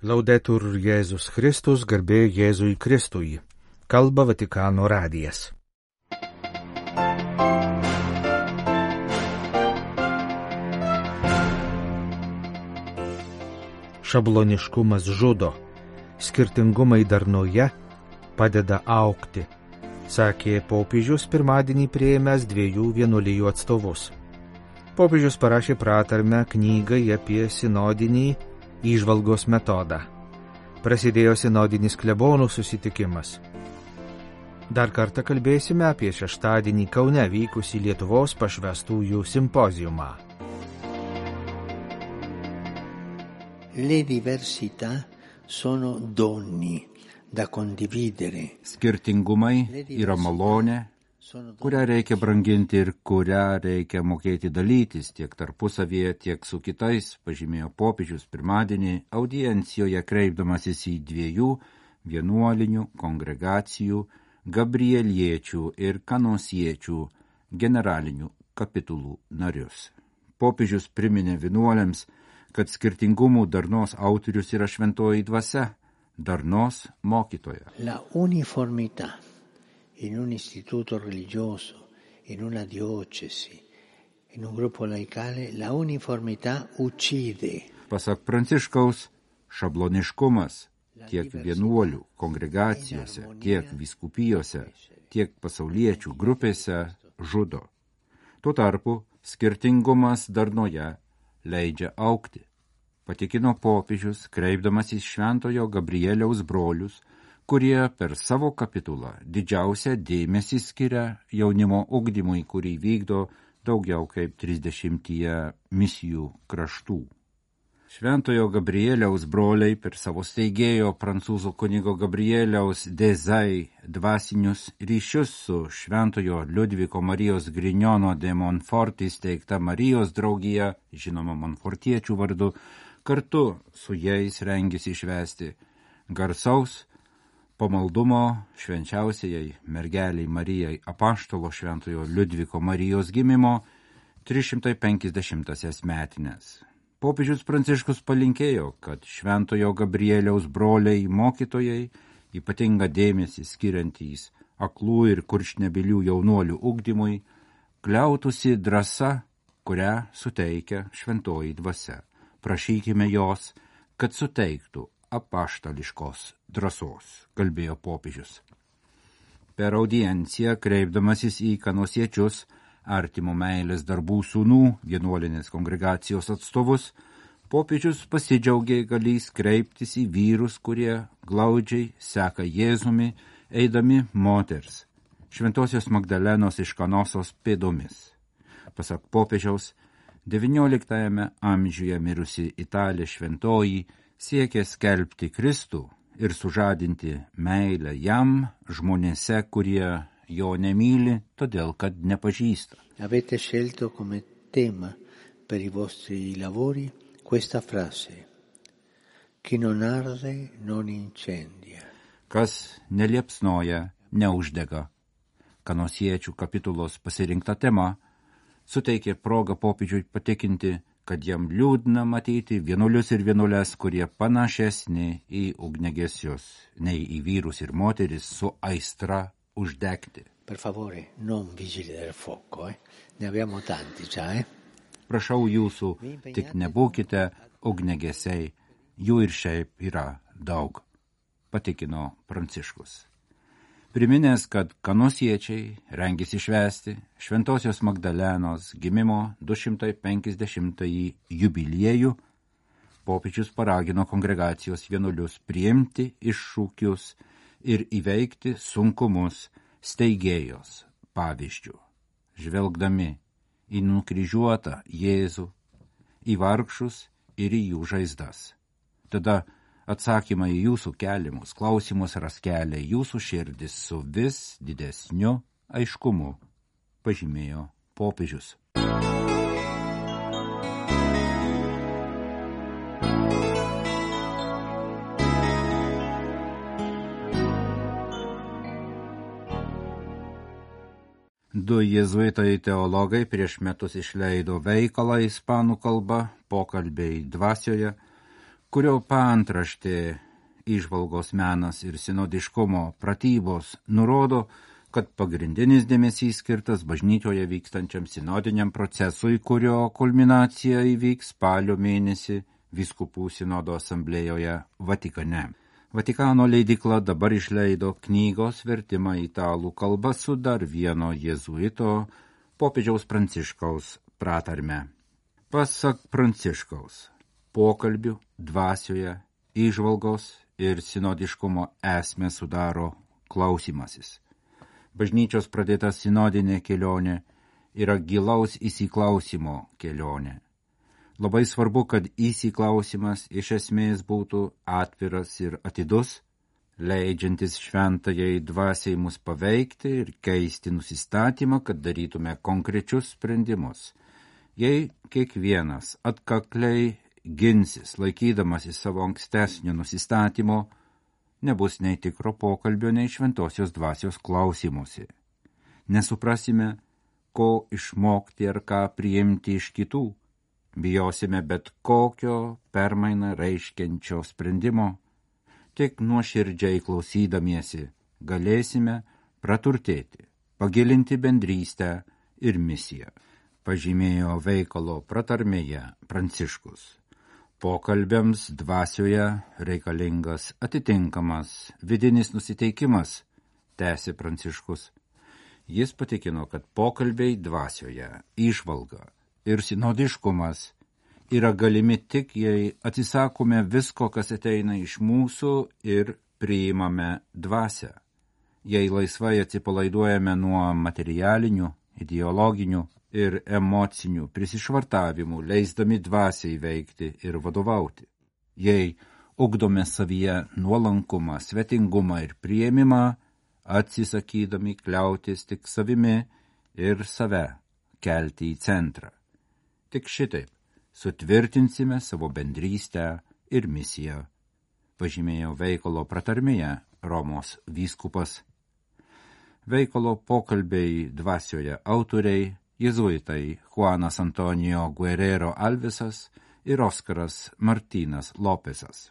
Laudetur Jėzus Kristus, garbė Jėzui Kristui. Kalba Vatikano radijas. Šabloniškumas žudo, skirtingumai darnoje padeda augti, sakė popiežius pirmadienį priėmęs 2 vienuolijų atstovus. Popiežius parašė pratarmę knygai apie sinodinį įžvalgos metodą. Prasidėjo sinodinis klebonų susitikimas. Dar kartą kalbėsime apie šeštadienį Kaune vykusį Lietuvos pašvęstųjų simpoziumą. Le diversità sono doni da condividere. Skirtingumai yra malonė, kurią reikia branginti ir kurią reikia mokėti dalytis tiek tarpusavyje, tiek su kitais, pažymėjo popiežius pirmadienį audiencijoje kreipdamasis į 2 vienuolinių kongregacijų Gabrieliečių ir Kanosiečių generalinių kapitulų narius. Popiežius priminė vienuoliams, kad skirtingumų darnos autorius yra šventoji dvasia, darnos mokytoja. La uniformità in un istituto religioso, in una diocesi, in un gruppo laicale, la uniformità uccide. Pasak Pranciškaus, šabloniškumas tiek vienuolių kongregacijose, tiek vyskupijose, tiek pasauliečių grupėse žudo. Tuo tarpu skirtingumas darnoje leidžia augti, patikino popiežius, kreipdamas į Šventojo Gabrieliaus brolius, kurie per savo kapitulą didžiausią dėmesį skiria jaunimo ugdymui, kurį vykdo daugiau kaip 30 misijų kraštų. Šventojo Gabrieliaus broliai per savo steigėjo prancūzų kunigo Gabrieliaus Dezay dvasinius ryšius su Šventojo Liudviko Marijos Grignono de Montfort įsteigta Marijos draugija, žinoma Montfortiečių vardu, kartu su jais rengėsi švęsti garsaus pamaldumo švenčiausiai mergeliai Marijai apaštalo Šventojo Liudviko Marijos gimimo 350 metines. Popiežius Pranciškus palinkėjo, kad Šventojo Gabrieliaus broliai mokytojai, ypatingą dėmesį skiriantys aklų ir kurčnebylių jaunuolių ugdymui, kliautųsi drąsa, kurią suteikia šventoji dvasia. Prašykime jos, kad suteiktų apaštališkos drąsos, kalbėjo popiežius. Per audienciją, kreipdamasis į Kanosiečius, artimo meilės darbų sūnų, vienuolinės kongregacijos atstovus, popiežius pasidžiaugė galys kreiptis į vyrus, kurie glaudžiai seka Jėzumi, eidami moters, Šventosios Magdalenos iš Kanosos pėdomis. Pasak popiežiaus, 19 amžiuje mirusi Italė šventoji siekė skelbti Kristų ir sužadinti meilę jam žmonėse, kurie jo nemyli, todėl kad nepažįsta. Avete scelto come tema per i vostri lavori questa frase: chi non arde non incendia. Kas neliepsnoja, neuždega. Kanosiečių kapitulos pasirinkta tema suteikė progą popiežiui patikinti, kad jam liūdna matyti vienuolius ir vienuolės, kurie panašesni į ugniagesius, nei į vyrus ir moteris su aistra uždegti. Per favore, non vigili del fuoco, ne abbiamo tanti già, Prašau jūsų, tik nebūkite ugniagesiai, jų ir šiaip yra daug, patikino Pranciškus. Priminęs, kad Kanosiečiai rengėsi švęsti Šventosios Magdalenos gimimo 250-ąjį jubiliejų, popiežius paragino kongregacijos vienuolius priimti iššūkius ir įveikti sunkumus steigėjos pavyzdžių, žvelgdami į nukryžiuotą Jėzų, į vargšus ir į jų žaizdas. Tada atsakymai į jūsų keliamus klausimus ras kelią jūsų širdis su vis didesniu aiškumu, pažymėjo popiežius. Du jėzuitai teologai prieš metus išleido veikalą ispanų kalba Pokalbiai dvasioje, kurio paantraštė įžvalgos menas ir sinodiškumo pratybos nurodo, kad pagrindinis dėmesys skirtas bažnyčioje vykstančiam sinodiniam procesui, kurio kulminacija įvyks spalio mėnesį vyskupų sinodo asamblėjoje Vatikane. Vatikano leidykla dabar išleido knygos vertimą italų kalba su dar vieno jėzuito popiežiaus Pranciškaus pratarme. Pasak Pranciškaus, pokalbių dvasioje įžvalgos ir sinodiškumo esmę sudaro klausimasis. Bažnyčios pradėta sinodinė kelionė yra gilaus įsiklausimo kelionė. Labai svarbu, kad įsiklausimas iš esmės būtų atviras ir atidus, leidžiantis šventajai dvasiai mus paveikti ir keisti nusistatymą, kad darytume konkrečius sprendimus. Jei kiekvienas atkakliai ginsis, laikydamasis savo ankstesnio nusistatymo, nebus nei tikro pokalbio, nei šventosios dvasios klausimusi. Nesuprasime, ko išmokti ar ką priimti iš kitų. Bijosime bet kokio permainą reiškiančio sprendimo. Tik nuoširdžiai klausydamiesi galėsime praturtėti, pagilinti bendrystę ir misiją, pažymėjo veikalo pratarmėje Pranciškus. Pokalbiams dvasioje reikalingas atitinkamas vidinis nusiteikimas, tęsė Pranciškus. Jis patikino, kad pokalbiai dvasioje, įžvalga ir sinodiškumas yra galimi tik, jei atsisakome visko, kas ateina iš mūsų ir priimame dvasią. Jei laisvai atsipalaiduojame nuo materialinių, ideologinių ir emocinių prisišvartavimų, leisdami dvasiai veikti ir vadovauti. Jei ugdome savyje nuolankumą, svetingumą ir priėmimą, atsisakydami kliautis tik savimi ir save kelti į centrą. Tik šitaip sutvirtinsime savo bendrystę ir misiją, pažymėjo veikalo pratarmėje Romos vyskupas. Veikalo pokalbiai dvasioje autoriai jėzuitai Juanas Antonijo Guerrero Alvesas ir Oskaras Martynas Lopesas.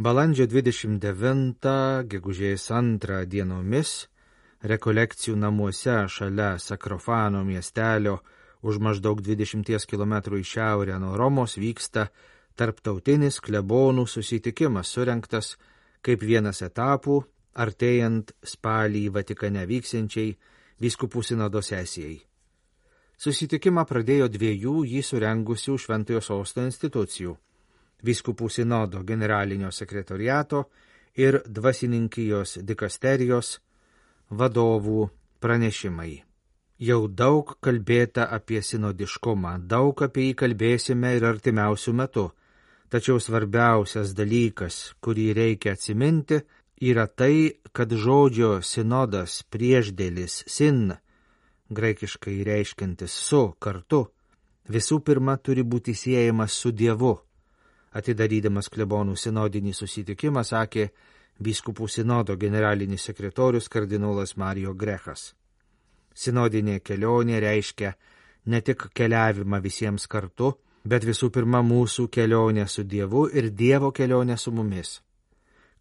Balandžio 29, gegužės 2 dienomis rekolekcijų namuose šalia Sakrofano miestelio už maždaug 20 km į šiaurę nuo Romos vyksta tarptautinis klebonų susitikimas, surengtas kaip vienas etapų, artėjant spalį Vatikane vyksiančiai vyskupų sinodo sesijai. Susitikimą pradėjo 2 jį surengusių Šventojo Sosto institucijų – vyskupų sinodo generalinio sekretoriato ir dvasininkijos dikasterijos vadovų pranešimai. Jau daug kalbėta apie sinodiškumą, daug apie jį kalbėsime ir artimiausių metų, tačiau svarbiausias dalykas, kurį reikia atsiminti, yra tai, kad žodžio sinodas priešdėlis sin, graikiškai reiškiantis su, kartu, visų pirma turi būti siejamas su Dievu. Atidarydamas klebonų sinodinį susitikimą, sakė vyskupų sinodo generalinis sekretorius kardinolas Mario Grechas. Sinodinė kelionė reiškia ne tik keliavimą visiems kartu, bet visų pirma mūsų kelionę su Dievu ir Dievo kelionę su mumis.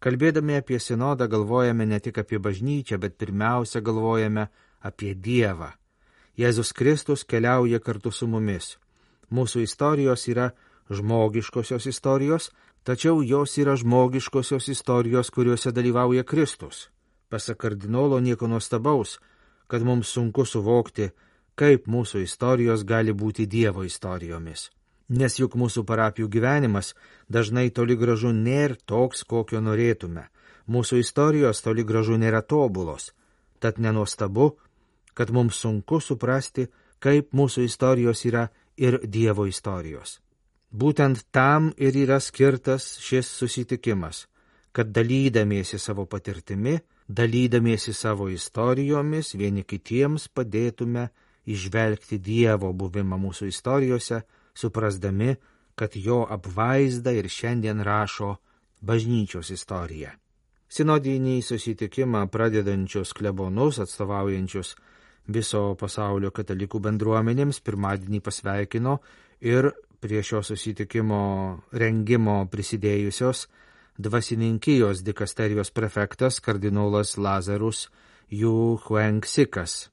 Kalbėdami apie sinodą galvojame ne tik apie bažnyčią, bet pirmiausia galvojame apie Dievą. Jėzus Kristus keliauja kartu su mumis. Mūsų istorijos yra žmogiškosios istorijos, tačiau jos yra žmogiškosios istorijos, kuriuose dalyvauja Kristus. Pasak kardinolo nieko nuostabaus, kad mums sunku suvokti, kaip mūsų istorijos gali būti Dievo istorijomis. Nes juk mūsų parapijų gyvenimas dažnai toli gražu nėra toks, kokio norėtume. Mūsų istorijos toli gražu nėra tobulos. Tad nenuostabu, kad mums sunku suprasti, kaip mūsų istorijos yra ir Dievo istorijos. Būtent tam ir yra skirtas šis susitikimas, kad dalydamiesi savo patirtimi, dalydamiesi savo istorijomis, vieni kitiems padėtume įžvelgti Dievo buvimą mūsų istorijose, suprasdami, kad jo apvaizdą ir šiandien rašo bažnyčios istorija. Sinodinį susitikimą pradedančius klebonus atstovaujančius viso pasaulio katalikų bendruomenėms pirmadienį pasveikino ir prie šio susitikimo rengimo prisidėjusios dvasininkijos dikasterijos prefektas kardinolas Lazarus Yu Huangsikas.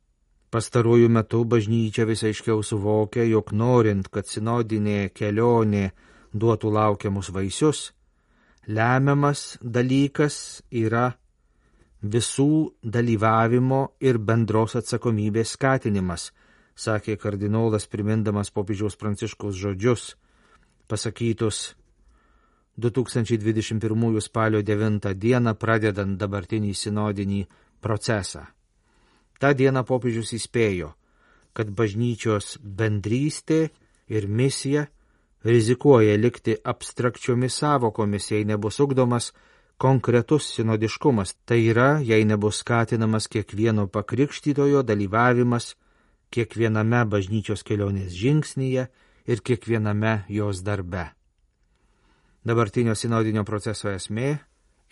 Pastaruoju metu bažnyčia vis aiškiau suvokia, jog norint, kad sinodinė kelionė duotų laukiamus vaisius, lemiamas dalykas yra visų dalyvavimo ir bendros atsakomybės skatinimas, sakė kardinolas primindamas popiežiaus Pranciškaus žodžius, pasakytus 2021 spalio 9 dieną pradedant dabartinį sinodinį procesą. Ta diena popiežius įspėjo, kad bažnyčios bendrystė ir misija rizikuoja likti abstrakčiomis savokomis, jei nebus ugdomas konkretus sinodiškumas, tai yra, jei nebus skatinamas kiekvieno pakrikštytojo dalyvavimas kiekviename bažnyčios kelionės žingsnyje ir kiekviename jos darbe. Dabartinio sinodinio proceso esmė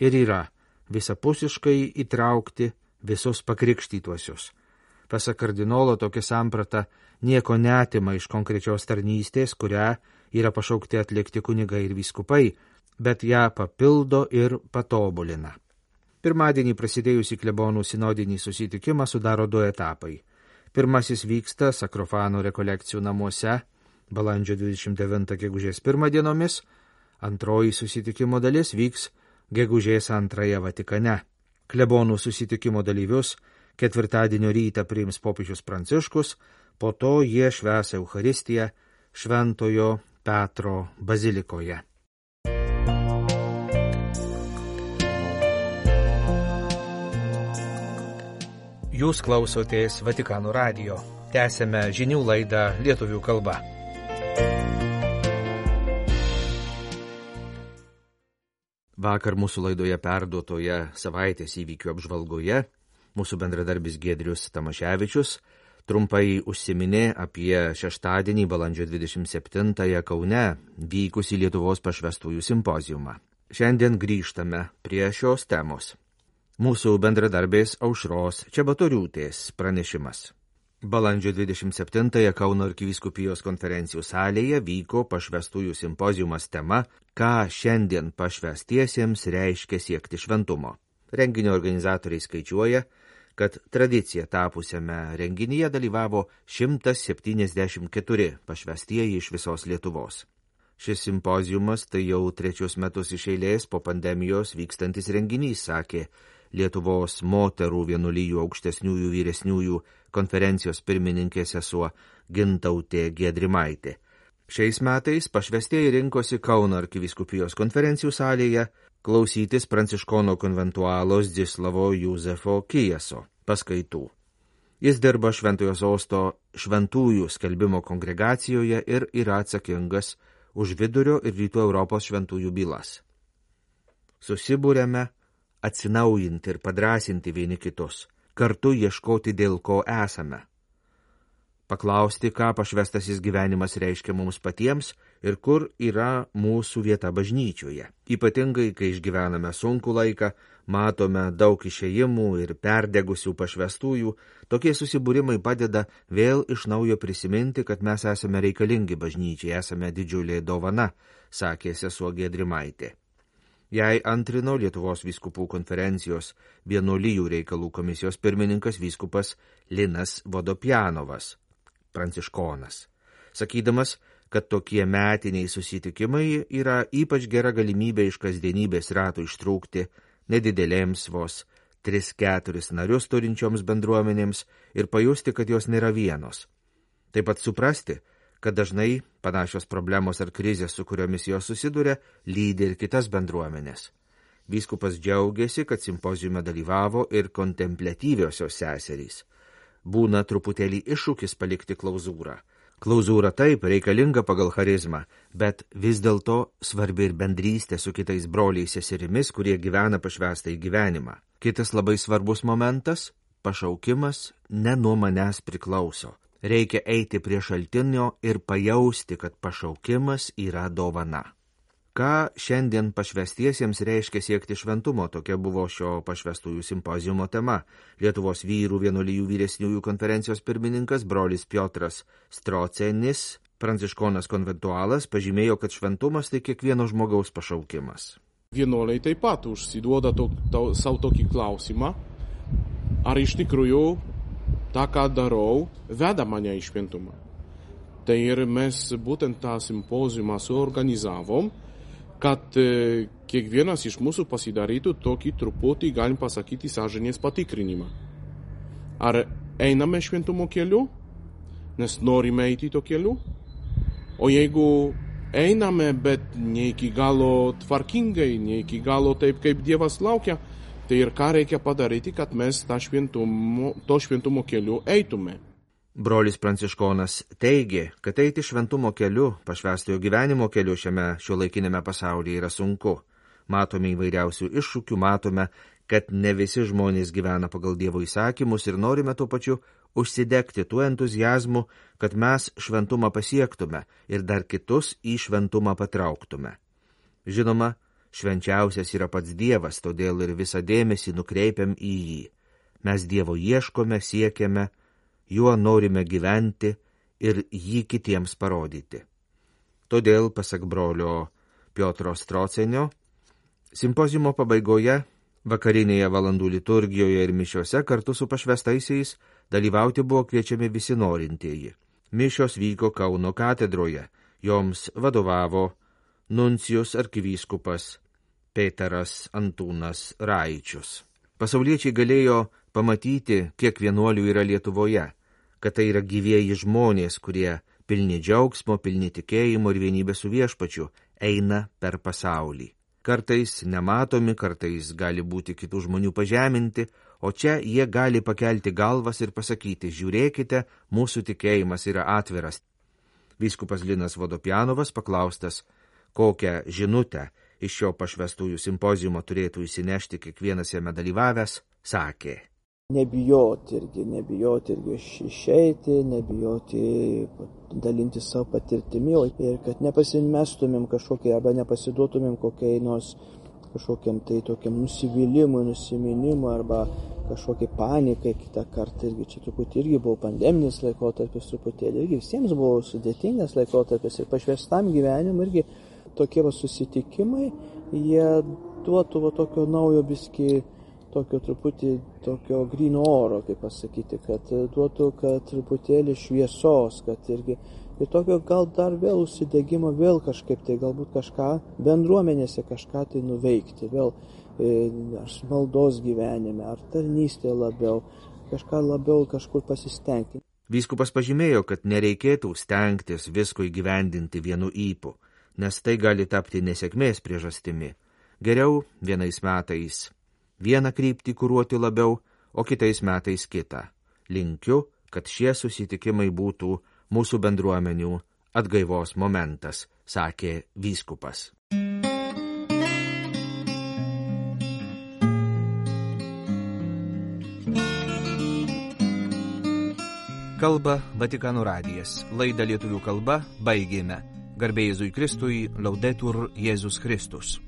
ir yra visapusiškai įtraukti visus pakrikštytuosius. Pasak kardinolo, tokia samprata nieko neatima iš konkrečios tarnystės, kurią yra pašaukti atlikti kunigai ir vyskupai, bet ją papildo ir patobulina. Pirmadienį prasidėjusį klebonų sinodinį susitikimą sudaro 2 etapai. Pirmasis vyksta Sakrofano rekolekcijų namuose balandžio 29 gegužės 1 dienomis, antroji susitikimo dalis vyks gegužės 2 Vatikane. Klebonų susitikimo dalyvius ketvirtadienio rytą priims popiežius Pranciškus, po to jie švęs Eucharistiją Šventojo Petro bazilikoje. Jūs klausotės Vatikano radijo. Tęsėme žinių laidą lietuvių kalba. Vakar mūsų laidoje perduotoje savaitės įvykių apžvalgoje mūsų bendradarbis Giedrius Tamaševičius trumpai užsiminė apie šeštadienį balandžio 27 Kaune vykusį Lietuvos pašvestųjų simpoziumą. Šiandien grįžtame prie šios temos. Mūsų bendradarbės Aušros Čebatoriūtės pranešimas. Balandžio 27 Kauno arkivyskupijos konferencijų salėje vyko pašvestųjų simpoziumas tema Ką šiandien pašvestiesiems reiškia siekti šventumo. Renginio organizatoriai skaičiuoja, kad tradicija tapusiame renginyje dalyvavo 174 pašvestieji iš visos Lietuvos. Šis simpoziumas tai jau 3 metus iš eilės po pandemijos vykstantis renginys, sakė Lietuvos moterų vienuolijų aukštesniųjų vyresniųjų konferencijos pirmininkė sesuo Gintautė Giedrimaitė. Šiais metais pašvestieji rinkosi Kauno arkivyskupijos konferencijų salėje klausytis pranciškono konventualo Zdzislavo Juzefo Kijeso paskaitų. Jis dirba Šventojo Sosto šventųjų skelbimo kongregacijoje ir yra atsakingas už Vidurio ir Rytų Europos šventųjų bylas. Susibūrėme atsinaujinti ir padrasinti vieni kitus, kartu ieškoti dėl ko esame. Paklausti, ką pašvestasis gyvenimas reiškia mums patiems ir kur yra mūsų vieta bažnyčioje. Ypatingai, kai išgyvename sunkų laiką, matome daug išėjimų ir perdegusių pašvestųjų, tokie susibūrimai padeda vėl iš naujo prisiminti, kad mes esame reikalingi bažnyčiai, esame didžiulė dovana, sakė sesuo Giedrimaitė. Jai antrino Lietuvos vyskupų konferencijos vienuolijų reikalų komisijos pirmininkas vyskupas Linas Vodopjanovas, pranciškonas, sakydamas, kad tokie metiniai susitikimai yra ypač gera galimybė iš kasdienybės ratų ištrūkti nedidelėms vos 3-4 narius turinčioms bendruomenėms ir pajusti, kad jos nėra vienos. Taip pat suprasti, kad dažnai panašios problemos ar krizės, su kuriomis jos susiduria, lydi ir kitas bendruomenės. Vyskupas džiaugiasi, kad simpoziume dalyvavo ir kontempliatyviosios seserys. Būna truputėlį iššūkis palikti klauzūrą. Klauzūra taip reikalinga pagal charizmą, bet vis dėlto svarbi ir bendrystė su kitais broliais seserimis, kurie gyvena pašvestąjį gyvenimą. Kitas labai svarbus momentas – pašaukimas ne nuo manęs priklauso. Reikia eiti prie šaltinio ir pajausti, kad pašaukimas yra dovana. Ką šiandien pašvestiesiems reiškia siekti šventumo, tokia buvo šio pašvestųjų simpoziumo tema. Lietuvos vyrų vienuolijų vyresniųjų konferencijos pirmininkas brolis Piotras Strocenis, pranciškonas konventualas, pažymėjo, kad šventumas tai kiekvieno žmogaus pašaukimas. Vienuoliai taip pat užsiduoda savo tokį klausimą, ar iš tikrųjų tą, ką darau, veda mane į šventumą. Tai ir mes būtent tą simpoziumą suorganizavom, kad kiekvienas iš mūsų pasidarytų tokį truputį, galim pasakyti, sąžinės patikrinimą. Ar einame šventumo keliu, nes norime eiti to keliu? O jeigu einame, bet ne iki galo tvarkingai, ne iki galo taip, kaip Dievas laukia, tai ir ką reikia padaryti, kad mes to šventumo keliu eitume. Brolis pranciškonas teigė, kad eiti šventumo keliu, pašvestojo gyvenimo keliu šiame šiuolaikinėme pasaulyje yra sunku. Matome įvairiausių iššūkių, matome, kad ne visi žmonės gyvena pagal Dievo įsakymus ir norime tuo pačiu užsidegti tuo entuzijazmu, kad mes šventumą pasiektume ir dar kitus į šventumą patrauktume. Žinoma, švenčiausias yra pats Dievas, todėl ir visą dėmesį nukreipiam į jį. Mes Dievo ieškome, siekiame, juo norime gyventi ir jį kitiems parodyti. Todėl, pasak brolio Piotro Strocenio, simpoziumo pabaigoje, vakarinėje valandų liturgijoje ir mišiose kartu su pašvestaisiais dalyvauti buvo kviečiami visi norintieji. Mišios vyko Kauno katedroje, joms vadovavo nuncijus arkivyskupas Peteras Antūnas Raičius. Pasauliečiai galėjo pamatyti, kiek vienuolių yra Lietuvoje, kad tai yra gyvieji žmonės, kurie pilni džiaugsmo, pilni tikėjimo ir vienybės su viešpačiu eina per pasaulį. Kartais nematomi, kartais gali būti kitų žmonių pažeminti, o čia jie gali pakelti galvas ir pasakyti, žiūrėkite, mūsų tikėjimas yra atviras. Vyskupas Linas Vodopjanovas, paklaustas, kokią žinutę iš šio pašvestųjų simpoziumo turėtų įsinešti kiekvienas jame dalyvavęs, sakė. Nebijoti irgi išeiti, nebijoti dalinti savo patirtimi ir kad nepasimestumėm kažkokiai arba nepasiduotumėm kažkokiam tai tokiam nusivylimui, nusiminimui arba kažkokiai panikai kitą kartą. Irgi čia truputį irgi buvo pandeminis laikotarpis, truputėlį irgi visiems buvo sudėtingas laikotarpis ir pašvestam gyvenimui irgi tokie susitikimai, jie duotų tokio naujo biskį, tokio truputį tokio gryno oro, kaip pasakyti, kad duotų, kad truputėlį šviesos, kad irgi ir tokio gal dar vėl užsidegimo, vėl kažkaip tai galbūt kažką bendruomenėse kažką tai nuveikti, vėl ar maldos gyvenime, ar tarnystė labiau, kažką labiau kažkur pasistengti. Vyskupas pažymėjo, kad nereikėtų stengtis visko įgyvendinti vienu ypu, nes tai gali tapti nesėkmės priežastimi. Geriau vienais metais vieną kryptį kuruoti labiau, o kitais metais kitą. Linkiu, kad šie susitikimai būtų mūsų bendruomenių atgaivos momentas, sakė vyskupas. Kalba Vatikano radijas. Laidą lietuvių kalba baigėme. Garbė Jėzui Kristui, Laudetur Jėzus Kristus.